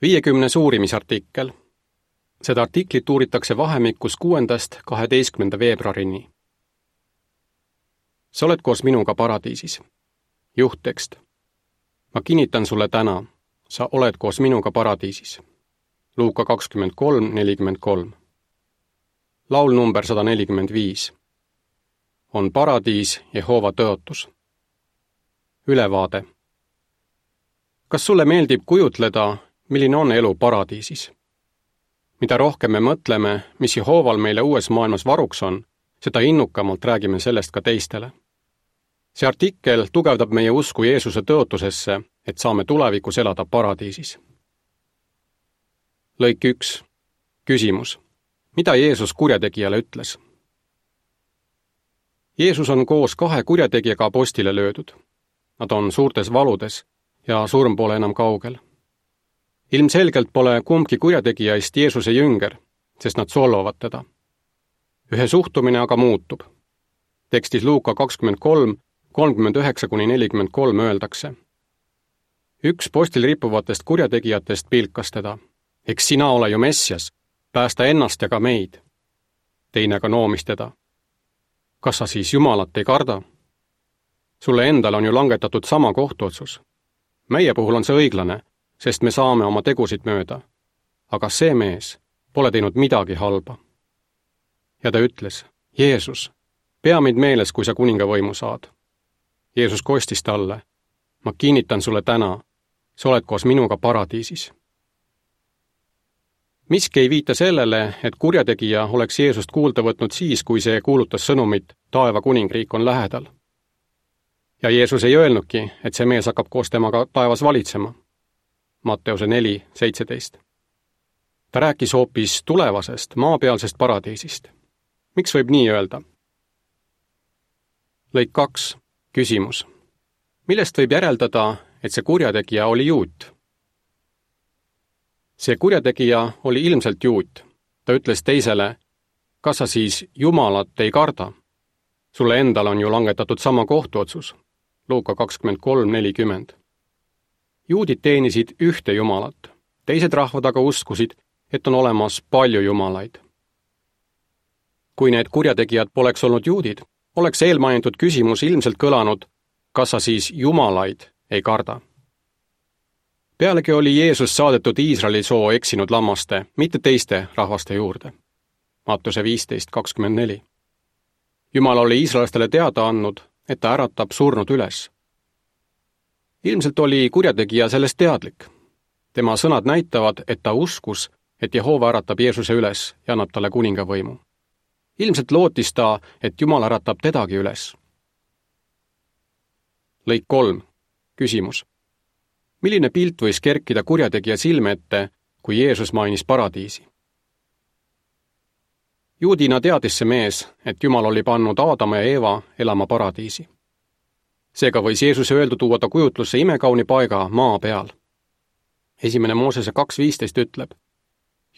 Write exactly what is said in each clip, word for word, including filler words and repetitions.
viiekümnes uurimisartikkel. Seda artiklit uuritakse vahemikus kuuendast kaheteistkümnenda veebruarini. Sa oled koos minuga paradiisis. Juhttekst. Ma kinnitan sulle täna, sa oled koos minuga paradiisis. Luuka kakskümmend kolm nelikümmend kolm. Laul number sada nelikümmend viis. On paradiis Jehova tõotus. Ülevaade. Kas sulle meeldib kujutleda, milline on elu paradiisis? Mida rohkem me mõtleme, mis Jehoval meile uues maailmas varuks on, seda innukamalt räägime sellest ka teistele. See artikkel tugevdab meie usku Jeesuse tõotusesse, et saame tulevikus elada paradiisis. Lõik üks. Küsimus. Mida Jeesus kurjategijale ütles? Jeesus on koos kahe kurjategijaga apostile löödud. Nad on suurtes valudes ja surm pole enam kaugel. Ilmselgelt pole kumbki kurjategijaist Jeesuse jünger, sest nad solvavad teda. Ühe suhtumine aga muutub. Tekstis Luuka kakskümmend kolm kolmkümmend üheksa kuni nelikümmend kolm öeldakse. Üks postil rippuvatest kurjategijatest pilkas teda. Eks sina ole ju Messias, päästa ennast ja ka meid. Teine aga noomis teda. Kas sa siis Jumalat ei karda? Sulle endal on ju langetatud sama kohtuotsus. Meie puhul on see õiglane, sest me saame oma tegusid mööda. Aga see mees pole teinud midagi halba. Ja ta ütles, Jeesus, pea meid meeles, kui sa kuningavõimu saad. Jeesus kostis talle, ma kinnitan sulle täna, sa oled koos minuga paradiisis. Miski ei viita sellele, et kurjategija oleks Jeesust kuulda võtnud siis, kui see kuulutas sõnumit, taeva kuningriik on lähedal. Ja Jeesus ei öelnudki, et see mees hakkab koos temaga taevas valitsema. Matteuse neli seitseteist. Ta rääkis hoopis tulevasest, maapealsest paradiisist. Miks võib nii öelda? Lõik kaks. Küsimus. Millest võib järeldada, et see kurjategija oli juut? See kurjategija oli ilmselt juut. Ta ütles teisele, kas sa siis Jumalat ei karda? Sulle endal on ju langetatud sama kohtuotsus. Luuka kakskümmend kolm nelikümmend. Juudid teenisid ühte Jumalat. Teised rahvad aga uskusid, et on olemas palju jumalaid. Kui need kurjategijad poleks olnud juudid, oleks eelmainitud küsimus ilmselt kõlanud, kas sa siis jumalaid ei karda. Pealegi oli Jeesus saadetud Iisraeli soo eksinud lammaste, mitte teiste rahvaste juurde. Mattuse viisteist kakskümmend neli. Jumal oli iisraelastele teada andnud, et ta äratab surnud üles. Ilmselt oli kurjategija sellest teadlik. Tema sõnad näitavad, et ta uskus, et Jehova äratab Jeesuse üles ja annab talle kuningavõimu. Ilmselt lootis ta, et Jumal äratab tedagi üles. Lõik kolm. Küsimus. Milline pilt võis kerkida kurjategija silme ette, kui Jeesus mainis paradiisi? Juudina teadis see mees, et Jumal oli pannud Aadama ja Eeva elama paradiisi. Seega võis Jeesuse öeldu tuua ta kujutlusse imekauni paiga maa peal. Esimene Moosese kaks viisteist ütleb,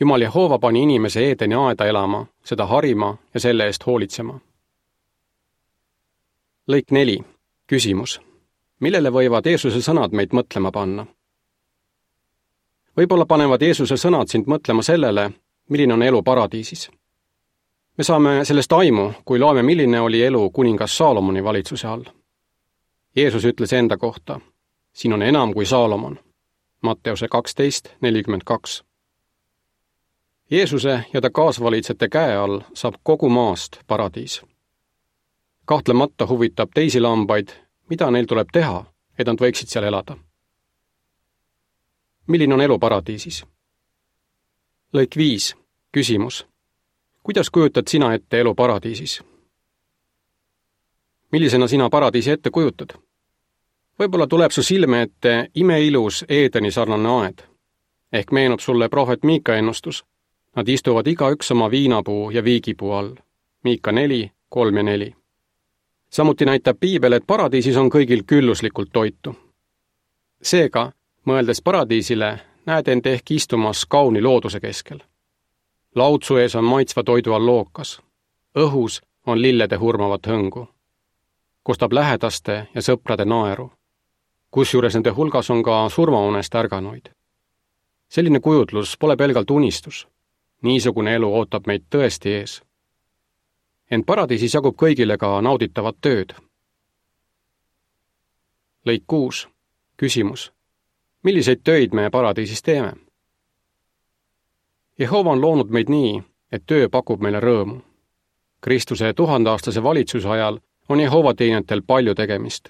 Jumal Jehova pani inimese Eedeni aeda elama, seda harima ja selle eest hoolitsema. Lõik neli. Küsimus. Millele võivad Jeesuse sõnad meid mõtlema panna? Võib-olla panevad Jeesuse sõnad sind mõtlema sellele, milline on elu paradiisis. Me saame sellest aimu, kui loeme, milline oli elu kuningas Saalomoni valitsuse all. Jeesus ütles enda kohta, siin on enam kui Saalomon. Matteuse kaksteist nelikümmend kaks. Jeesuse ja ta kaasvalitsete käe all saab kogu maast paradiis. Kahtlemata huvitab teisi lambaid, mida neil tuleb teha, et nad võiksid seal elada. Milline on elu paradiisis? Lõik viis. Küsimus. Kuidas kujutad sina ette elu paradiisis? Millisena sina paradiisi ette kujutad? Võib-olla tuleb su silme ette imeilus Eedeni sarnane aed. Ehk meenub sulle prohvet Miika ennustus. Nad istuvad igaüks oma viinapuu ja viigipuu all. Miika neli, kolm ja neli. Samuti näitab Piibel, et paradiisis on kõigil külluslikult toitu. Seega, mõeldes paradiisile, näed end ehk istumas kauni looduse keskel. Laudsu ees on maitsva toidu all lookas. Õhus on lillede hurmavat hõngu. Kostab lähedaste ja sõprade naeru. Kusjuures nende hulgas on ka surmaunest ärganuid. selline kujutlus pole pelgalt unistus. Niisugune elu ootab meid tõesti ees. Ent paradiisis jagub kõigile ka nauditavat tööd. Lõik kuus. Küsimus. Milliseid töid me paradiisis teeme? Jehova on loonud meid nii, et töö pakub meile rõõmu. Kristuse tuhandaastase valitsuse ajal on Jehova teenijatel palju tegemist.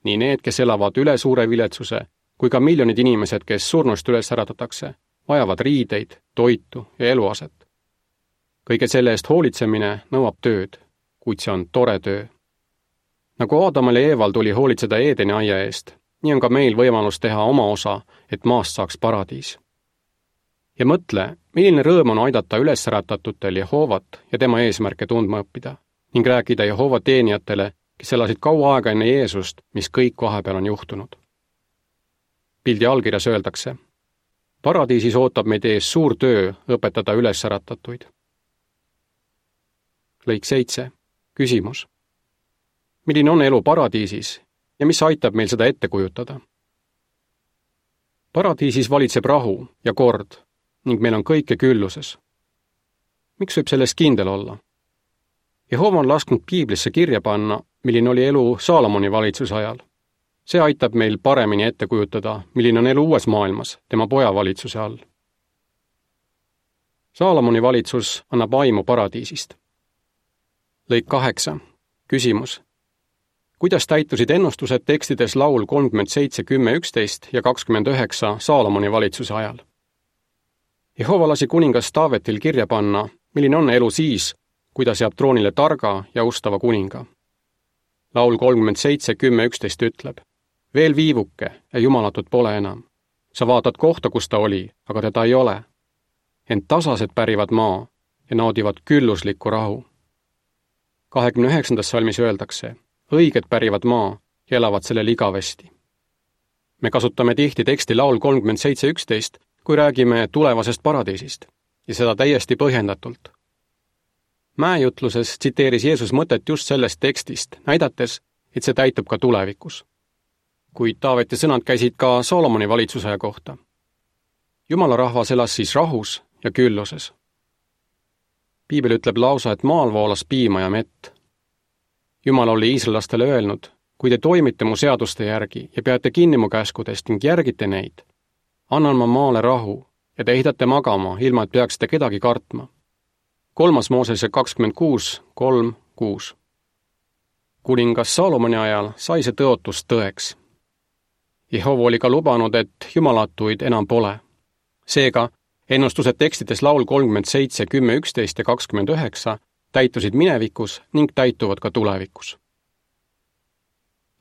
Nii need, kes elavad üle suure viletsuse, kui ka miljonid inimesed, kes surnust üles äratatakse, vajavad riideid, toitu ja eluaset. Kõige selle eest hoolitsemine nõuab tööd, kuid see on tore töö. Nagu Aadamal ja Eeval tuli hoolitseda Eedeni aia eest, nii on ka meil võimalus teha oma osa, et maast saaks paradiis. Ja mõtle, milline rõõm on aidata üles äratatutel Jehovat ja tema eesmärke tundma õppida ning rääkida Jehova teenijatele, kes elasid kaua aega enne Jeesust, mis kõik vahepeal on juhtunud. Pildi allkirjas öeldakse, paradiisis ootab meid ees suur töö õpetada üles äratatuid. Lõik seitse. Küsimus. Milline on elu paradiisis ja mis aitab meil seda ette kujutada? Paradiisis valitseb rahu ja kord ning meil on kõike külluses. Miks võib sellest kindel olla? Jehova on lasknud Piiblisse kirja panna, milline oli elu Saalomoni valitsuse ajal. See aitab meil paremini ette kujutada, milline on elu uues maailmas, tema poja valitsuse all. Saalomoni valitsus annab aimu paradiisist. Lõik kaheksa. Küsimus. Kuidas täitusid ennustused tekstides laul kolmkümmend seitse, kümme, üksteist ja kakskümmend üheksa Saalomoni valitsuse ajal? Jehova lasi kuningas Taavetil kirja panna, milline on elu siis, kui ta seab troonile targa ja ustava kuninga. Laul kolmkümmend seitse, kümme, üksteist ütleb, veel viivuke ja jumalatut pole enam. Sa vaatad kohta, kus ta oli, aga teda ei ole. Ent tasased pärivad maa ja naudivad külluslikku rahu. kahekümne üheksandas salmis öeldakse, õiged pärivad maa ja elavad sellel igavesti. Me kasutame tihti teksti laul kolmkümmend seitse, üksteist, kui räägime tulevasest paradiisist, ja seda täiesti põhjendatult. Mäejutluses tsiteeris Jeesus mõtet just sellest tekstist, näidates, et see täitub ka tulevikus. Kuid Taaveti sõnad käisid ka Saalomoni valitsusaja kohta. Jumala rahvas elas siis rahus ja külluses. Piibel ütleb lausa, et maal voolas piima ja mett. Jumal oli iisraellastele öelnud, kui te toimite mu seaduste järgi ja peate kinni mu käskudest ning järgite neid, annan ma maale rahu ja te ehitate magama, ilma et peaksite kedagi kartma. Kolmas Moosese kakskümmend kuus, kolm, kuus. Kuningas Saalomoni ajal sai see tõotus tõeks. Jehova oli ka lubanud, et jumalatuid enam pole. Seega, ennustused tekstides laul kolmkümmend seitse, kümme, üksteist ja kakskümmend üheksa täitusid minevikus ning täituvad ka tulevikus.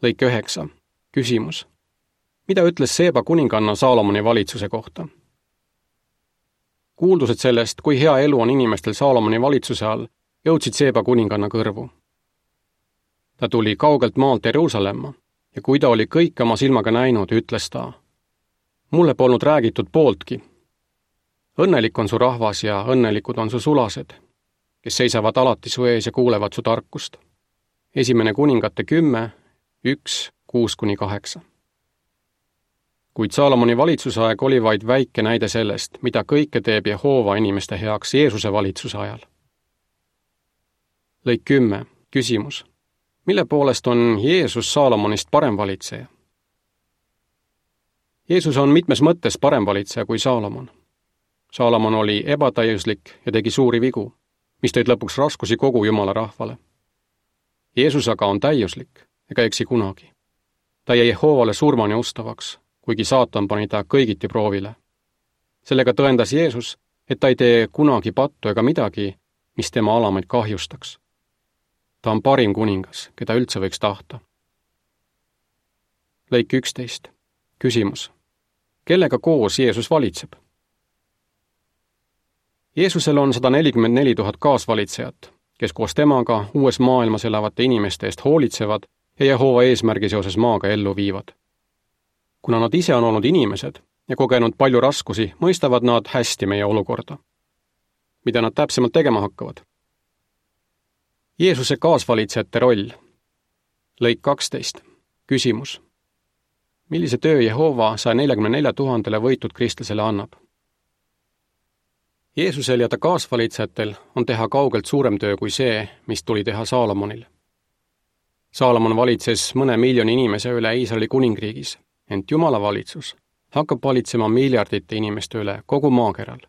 Lõik üheksa. Küsimus. Mida ütles Seeba kuninganna Saalomoni valitsuse kohta? Kuuldused sellest, kui hea elu on inimestel Saalomoni valitsuse all, jõudsid Seeba kuninganna kõrvu. Ta tuli kaugelt maalt Jeruusalemma ja kui ta oli kõik oma silmaga näinud, ütles ta, mulle polnud räägitud pooltki. Õnnelik on su rahvas ja õnnelikud on su sulased, kes seisavad alati su ees ja kuulevad su tarkust. Esimene kuningate kümme, üks, kuus kuni kaheksa. Kuid Saalomoni valitsusaeg oli vaid väike näide sellest, mida kõike teeb Jehova inimeste heaks Jeesuse valitsuse ajal. Lõik kümme. Küsimus. Mille poolest on Jeesus Saalomonist parem valitseja? Jeesus on mitmes mõttes parem valitseja kui Saalomon. Saalomon oli ebatäiuslik ja tegi suuri vigu, mis tõid lõpuks raskusi kogu Jumala rahvale. Jeesus aga on täiuslik ega eksi kunagi. Ta jäi Jehovale surmani ustavaks, kuigi saatan pani ta kõigiti proovile. Sellega tõendas Jeesus, et ta ei tee kunagi pattu ega midagi, mis tema alamaid kahjustaks. Ta on parim kuningas, keda üldse võiks tahta. Lõik üksteist. Küsimus. Kellega koos Jeesus valitseb? Jeesusel on sada nelikümmend neli tuhat kaasvalitsejat, kes koos temaga uues maailmas elavate inimeste eest hoolitsevad ja Jehova eesmärgi seoses maaga ellu viivad. Kuna nad ise on olnud inimesed ja kogenud palju raskusi, mõistavad nad hästi meie olukorda. Mida nad täpsemalt tegema hakkavad? Jeesuse kaasvalitsejate roll. Lõik kaksteist. Küsimus. Millise töö Jehova saja neljakümne nelja tuhandele võitud kristlasele annab? Jeesusel ja ta kaasvalitsejatel on teha kaugelt suurem töö kui see, mis tuli teha Saalomonil. Saalomon valitses mõne miljoni inimese üle Iisraeli kuningriigis, ent Jumala valitsus hakkab valitsema miljardite inimeste üle kogu maakeral.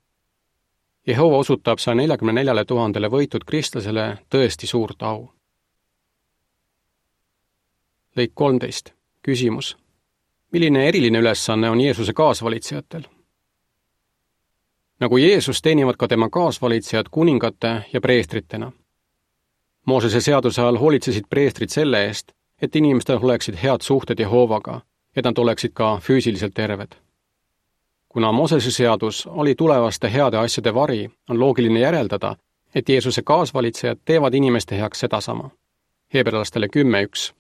Jehova osutab saja neljakümne neljale tuhandele võitud kristlasele tõesti suurt au. Lõik kolmteist. Küsimus. Milline eriline ülesanne on Jeesuse kaasvalitsejatel? Nagu Jeesus teenivad ka tema kaasvalitsejad kuningate ja preestritena. Moosese seaduse ajal hoolitsesid preestrid selle eest, et inimestel oleksid head suhted Jehovaga, et nad oleksid ka füüsiliselt terved. Kuna Moosese seadus oli tulevaste heade asjade vari, on loogiline järeldada, et Jeesuse kaasvalitsejad teevad inimeste heaks sedasama. Hebralastele kümme üks.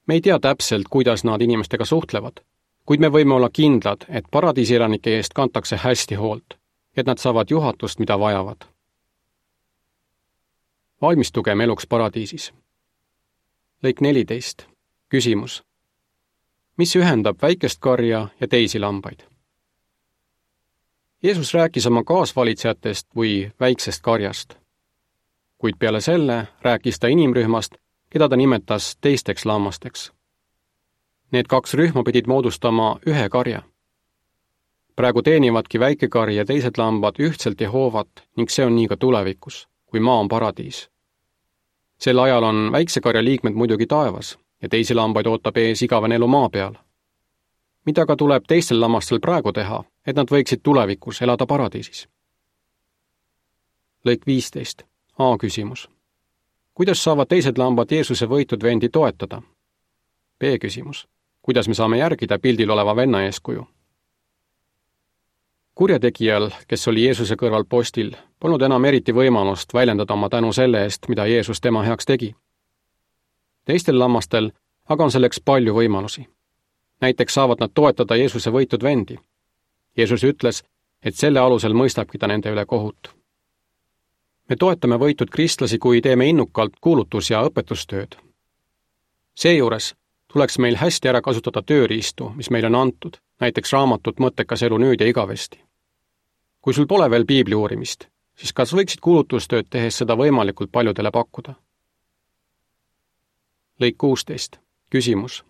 Me ei tea täpselt, kuidas nad inimestega suhtlevad, kuid me võime olla kindlad, et paradiisielanike eest kantakse hästi hoolt, et nad saavad juhatust, mida vajavad. Valmistugem eluks paradiisis. Lõik neliteist. Küsimus. Mis ühendab väikest karja ja teisi lambaid? Jeesus rääkis oma kaasvalitsejatest või väiksest karjast. Kuid peale selle rääkis ta inimrühmast, keda ta nimetas teisteks lammasteks. Need kaks rühma pidid moodustama ühe karja. Praegu teenivadki väike kari ja teised lambad ühtselt Jehovat ning see on nii ka tulevikus, kui maa on paradiis. Sel ajal on väikse karja liikmed muidugi taevas ja teisi lambaid ootab ees igavene elu maa peal. Mida ka tuleb teistel lammastel praegu teha, et nad võiksid tulevikus elada paradiisis? Lõik viisteist. A küsimus. Kuidas saavad teised lambad Jeesuse võitud vendi toetada? B küsimus. Kuidas me saame järgida pildil oleva venna eeskuju? Kurjategijal, kes oli Jeesuse kõrval postil, polnud enam eriti võimalust väljendada oma tänu selle eest, mida Jeesus tema heaks tegi. Teistel lammastel aga on selleks palju võimalusi. Näiteks saavad nad toetada Jeesuse võitud vendi. Jeesus ütles, et selle alusel mõistabki ta nende üle kohut. Me toetame võitud kristlasi, kui teeme innukalt kuulutus- ja õpetustööd. Seejuures tuleks meil hästi ära kasutada tööriistu, mis meil on antud, näiteks raamatut Mõttekas elu nüüd ja igavesti. Kui sul pole veel piibli uurimist, siis kas võiksid kuulutustööd tehes seda võimalikult paljudele pakkuda? Lõik kuusteist. Küsimus.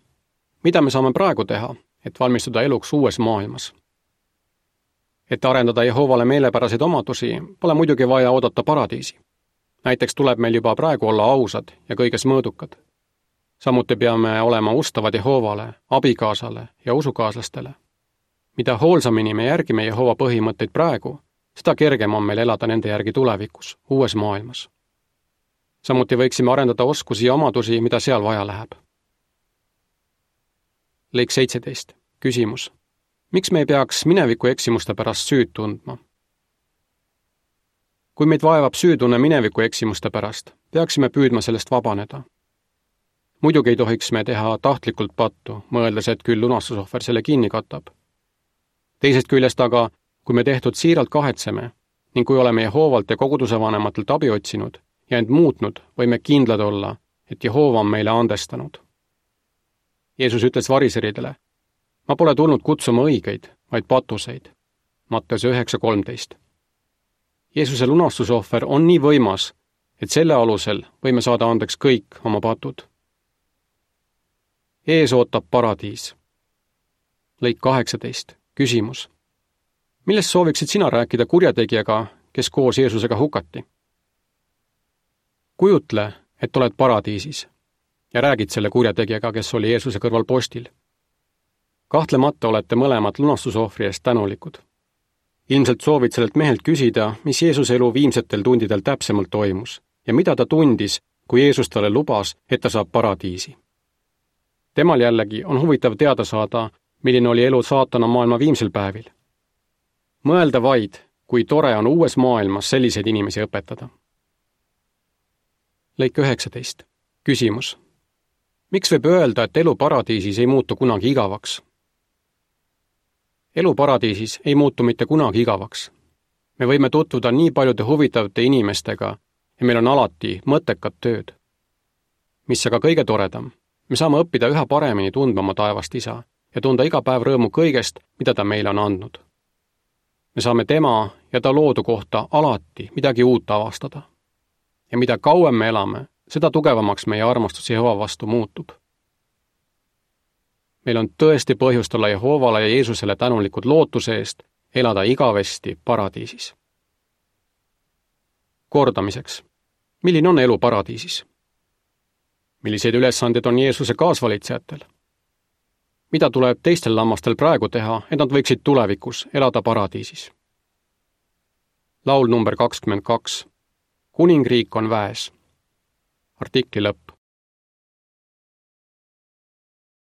Mida me saame praegu teha, et valmistuda eluks uues maailmas? Et arendada Jehovale meelepäraseid omadusi, pole muidugi vaja oodata paradiisi. Näiteks tuleb meil juba praegu olla ausad ja kõiges mõõdukad. Samuti peame olema ustavad Jehovale, abikaasale ja usukaaslastele. Mida hoolsamini me järgime Jehova põhimõtteid praegu, seda kergem on meil elada nende järgi tulevikus, uues maailmas. Samuti võiksime arendada oskusi ja omadusi, mida seal vaja läheb. Lõik seitseteist. Küsimus. Miks me ei peaks mineviku eksimuste pärast süüd tundma? Kui meid vaevab süütunne mineviku eksimuste pärast, peaksime püüdma sellest vabaneda. Muidugi ei tohiks me teha tahtlikult pattu, mõeldes, et küll lunastusohver selle kinni katab. Teisest küljest aga, kui me tehtud siiralt kahetseme ning kui oleme Jehovalt ja koguduse vanematelt abi otsinud ja end muutnud, võime kindlad olla, et Jehova on meile andestanud. Jeesus ütles variseridele, ma pole tulnud kutsuma õigeid, vaid patuseid. Matteuse üheksa kolmteist. Jeesuse lunastusohver on nii võimas, et selle alusel võime saada andeks kõik oma patud. Ees ootab paradiis. Lõik kaheksateist. Küsimus. Millest sooviksid sina rääkida kurjategijaga, kes koos Jeesusega hukati? Kujutle, et oled paradiisis ja räägid selle kurjategijaga, kes oli Jeesuse kõrval postil. Kahtlemata olete mõlemad lunastusohvri eest tänulikud. Ilmselt soovid sellelt mehelt küsida, mis Jeesuse elu viimsetel tundidel täpsemalt toimus ja mida ta tundis, kui Jeesus talle lubas, et ta saab paradiisi. Temal jällegi on huvitav teada saada, milline oli elu saatana maailma viimsel päevil. Mõelda vaid, kui tore on uues maailmas selliseid inimesi õpetada. Lõik üheksateist. Küsimus. Miks võib öelda, et elu paradiisis ei muutu kunagi igavaks? Elu paradiisis ei muutu mitte kunagi igavaks. Me võime tutvuda nii paljude huvitavate inimestega ja meil on alati mõttekad tööd. Mis aga kõige toredam, me saame õppida üha paremini tundma oma taevast isa ja tunda iga päev rõõmu kõigest, mida ta meile on andnud. Me saame tema ja ta loodu kohta alati midagi uut avastada. Ja mida kauem me elame, seda tugevamaks meie armastus Jehova vastu muutub. Meil on tõesti põhjust olla Jehovale ja Jeesusele tänulikud lootuse eest elada igavesti paradiisis. Kordamiseks. Milline on elu paradiisis? Milliseid ülesanded on Jeesuse kaasvalitsejatel? Mida tuleb teistel lammastel praegu teha, et nad võiksid tulevikus elada paradiisis? Laul number kakskümmend kaks. Kuningriik on väes. Artikli lõpp.